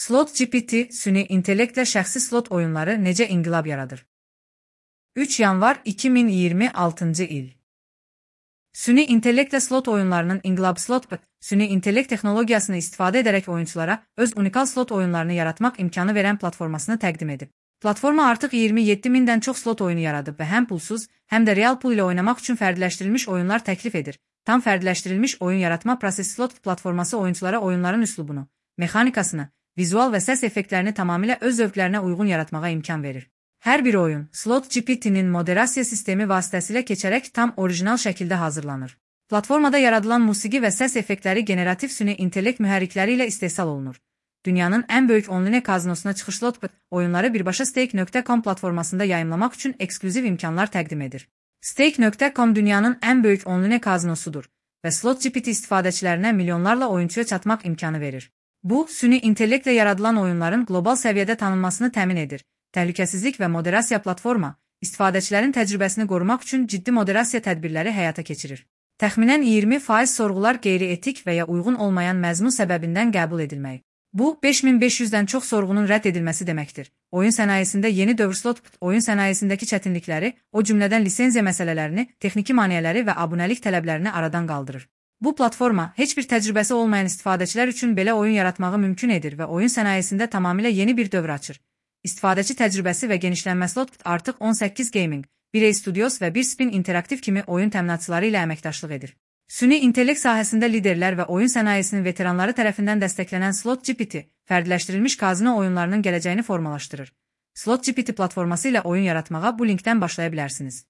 Slot GPT, süni intellektlə şəxsi slot oyunları necə inqilab yaradır? 3 yanvar 2026-cı il. Süni intellektlə slot oyunlarının inqilabı Slotbot, süni intellekt texnologiyasını istifadə edərək oyunçulara öz unikal slot oyunlarını yaratmaq imkanı verən platformasını təqdim edib. Platforma artıq 27 mindən çox slot oyunu yaradıb və həm pulsuz, həm də real pul ilə oynamaq üçün fərdiləşdirilmiş oyunlar təklif edir. Tam fərdiləşdirilmiş oyun yaratma prosesi Slot platforması oyunçulara oyunların üslubunu, mexanikasını, vizual və səs effektlərini tamamilə öz zövqlərinə uyğun yaratmağa imkan verir. Hər bir oyun, Slot GPT-nin moderasiya sistemi vasitəsilə keçərək tam orijinal şəkildə hazırlanır. Platformada yaradılan musiqi və səs effektləri generativ süni intellekt mühərrikləri ilə istehsal olunur. Dünyanın ən böyük online kazinosuna çıxış Slotbot oyunları birbaşa Stake.com platformasında yayımlamaq üçün eksklüziv imkanlar təqdim edir. Stake.com dünyanın ən böyük online kazinosudur və Slot GPT istifadəçilərinə milyonlarla oyunçuya çatmaq imkanı verir. Bu, süni intellektlə yaradılan oyunların qlobal səviyyədə tanınmasını təmin edir. Təhlükəsizlik və moderasiya platforma, istifadəçilərin təcrübəsini qorumaq üçün ciddi moderasiya tədbirləri həyata keçirir. Təxminən 20% sorğular qeyri-etik və ya uyğun olmayan məzmun səbəbindən qəbul edilməyi. Bu, 5500-dən çox sorğunun rədd edilməsi deməkdir. Oyun sənayesində yeni dövr Slotbot oyun sənayesindəki çətinlikləri, o cümlədən lisenziya məsələlərini, texniki maneələri və abunəlik tələblərini aradan qaldırır. Bu platforma, heç bir təcrübəsi olmayan istifadəçilər üçün belə oyun yaratmağı mümkün edir və oyun sənayesində tamamilə yeni bir dövr açır. İstifadəçi təcrübəsi və genişlənmə Slotbot artıq 18 Gaming, 1A Studios və 1 Spin Interactive kimi oyun təminatçıları ilə əməkdaşlıq edir. Süni intellekt sahəsində liderlər və oyun sənayesinin veteranları tərəfindən dəstəklənən Slot GPT, fərdiləşdirilmiş kazino oyunlarının gələcəyini formalaşdırır. Slot GPT platforması ilə oyun yaratmağa bu linkdən başlaya bilərsiniz.